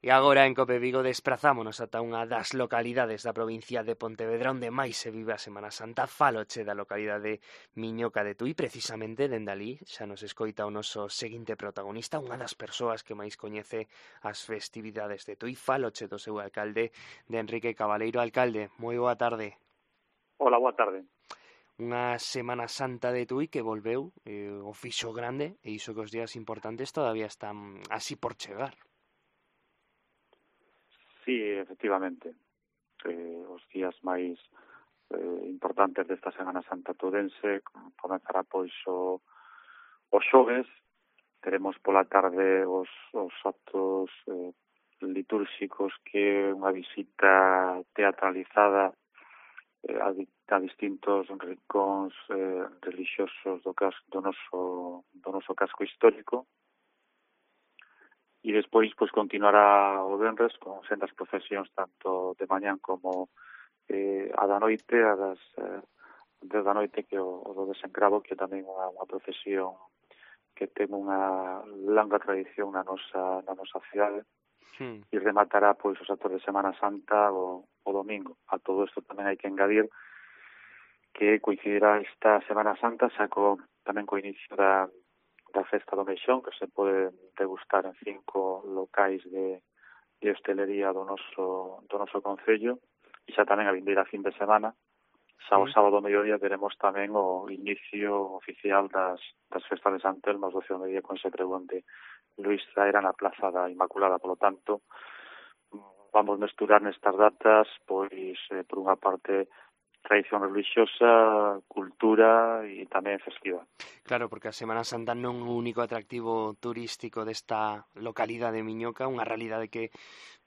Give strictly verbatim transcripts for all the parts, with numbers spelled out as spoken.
E agora en Cope Vigo desprazámonos ata unha das localidades da provincia de Pontevedra onde máis se vive a Semana Santa. Fáloche da localidade Miñoca de Tui, precisamente dende alí xa nos escoita o noso seguinte protagonista, unha das persoas que máis coñece as festividades de Tui. Fáloche do seu alcalde, de Enrique Cabaleiro. Alcalde, moi boa tarde. Hola, boa tarde. Unha Semana Santa de Tui que volveu, eh, o fixo grande, e iso que os días importantes todavía están así por chegar. Sí, efectivamente. Eh, os días máis eh, importantes desta Semana Santa tudense comenzará pois o, o xoves. Teremos pola tarde os, os actos eh, litúrxicos, que é unha visita teatralizada eh, a, a distintos rincóns eh, religiosos do, cas, do, noso, do noso casco histórico. E despois pois continuará o venres con sendas procesións tanto de mañán como eh, a da noite, a das eh, desde a noite, que o, o do desencravo, que tamén unha, unha procesión que ten unha longa tradición na nosa, na nosa cidade, Hmm. e rematará pois os actos de Semana Santa o, o domingo. A todo isto tamén hai que engadir que coincidirá esta Semana Santa xa co, tamén co inicio da da Festa do Meixón, que se pode degustar en cinco locais de, de hostelería do noso, do noso concello, e xa tamén a vindeira fin de semana, xa o sábado ao mediodía teremos tamén o inicio oficial das, das festas de Sant Telmo ás doce do mediodía con ese pregón de Luís Zaera na Plaza da Inmaculada. Por lo tanto, vamos mesturar nestas datas, pois, eh, por unha parte, tradición religiosa, cultura e tamén festiva. Claro, porque a Semana Santa non é o único atractivo turístico desta localidade de Miñoca, unha realidade que,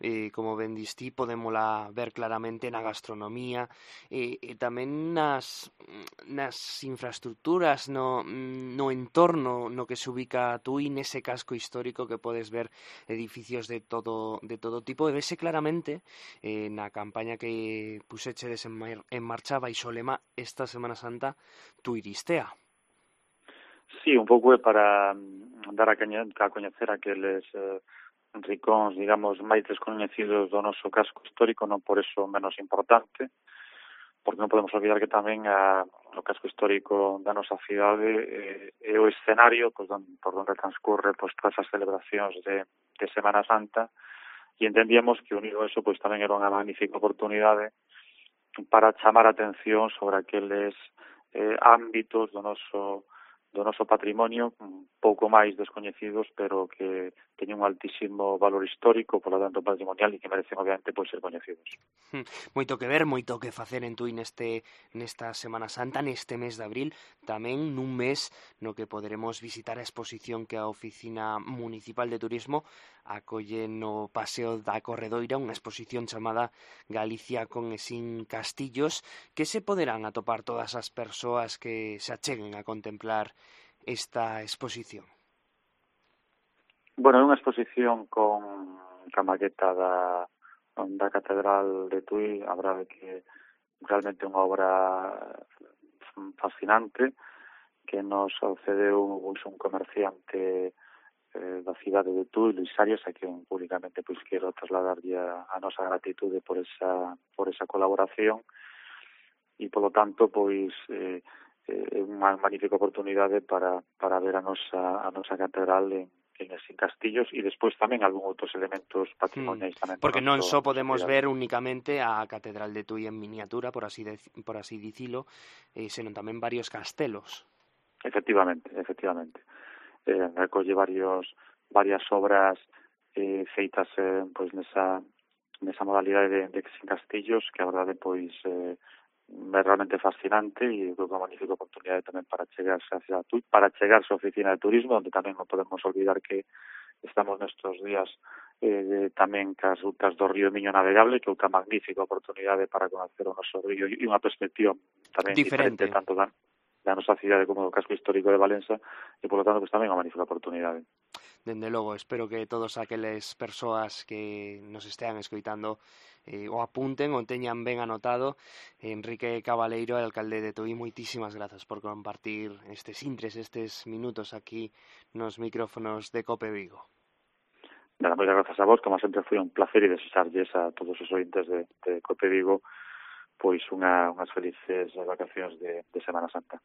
eh, como ben distí, podémola ver claramente na gastronomía e, e tamén nas, nas infraestructuras, no, no entorno no que se ubica Tui, nese casco histórico que podes ver edificios de todo, de todo tipo, e vese claramente eh, na campaña que pusechedes en, mar, en marcha baixo o lema esta Semana Santa Tuiristea. Sí, un pouco é para dar a, caña, a coñecer aqueles eh, ricóns, digamos, máis descoñecidos do noso casco histórico, non por eso menos importante, porque non podemos olvidar que tamén a, o casco histórico da nosa cidade eh, é o escenario pois, don, por onde transcurre pois, todas as celebracións de, de Semana Santa, e entendíamos que unido a eso pois, tamén era unha magnífica oportunidade para chamar a atención sobre aqueles eh, ámbitos do noso do noso patrimonio un pouco máis descoñecidos, pero que teñen un altísimo valor histórico, por lo tanto patrimonial, e que merecen obviamente pois ser coñecidos. Moito que ver, moito que facer en Tui neste nesta Semana Santa, neste mes de abril, tamén nun mes no que poderemos visitar a exposición que a Oficina Municipal de Turismo acolle no Paseo da Corredoira, unha exposición chamada Galicia con e sin castillos, que se poderán atopar todas as persoas que se acheguen a contemplar esta exposición. Bueno, é unha exposición con a maqueta da, da Catedral de Tui. A verdade que realmente é unha obra fascinante que nos cedeu un comerciante eh, da cidade de Tui, Luís Arias, a quen públicamente pois quero trasladarlle a, a nosa gratitude por esa por esa colaboración, e polo tanto pois eh, é unha magnífica oportunidade para, para ver a nosa a nosa catedral en en sin castillos, e despois tamén algún outros elementos patrimoniais tamén. Porque non noso, só podemos sociedade. ver únicamente a Catedral de Tui en miniatura, por así de, por así dicilo, eh, senón tamén varios castelos. Efectivamente, efectivamente. Eh, recolle varios varias obras eh, feitas eh, pois nesa nesa modalidade de, de sin castillos, que a verdade pois eh, é realmente fascinante, e creo que é unha magnífica oportunidade tamén para chegarse a Cidade Tui, para chegarse a Oficina de Turismo, onde tamén non podemos olvidar que estamos nestes días eh, tamén cas rutas do río Miño navegable, que é outra magnífica oportunidade para conocer o noso río e unha perspectiva tamén diferente, diferente tanto da, da nosa cidade como do casco histórico de Valença, e por lo tanto pues, tamén é unha magnífica oportunidade. Dende logo, espero que todos aqueles persoas que nos estean escoitando eh, o apunten o teñan ben anotado. Enrique Cabaleiro, alcalde de Tui, moitísimas grazas por compartir estes intres, estes minutos aquí nos micrófonos de Cope Vigo. Nada, moitas grazas a vos, como sempre foi un placer e desexarlles a todos os ointes de, de Cope Vigo pois unha, unhas felices vacacións de, de Semana Santa.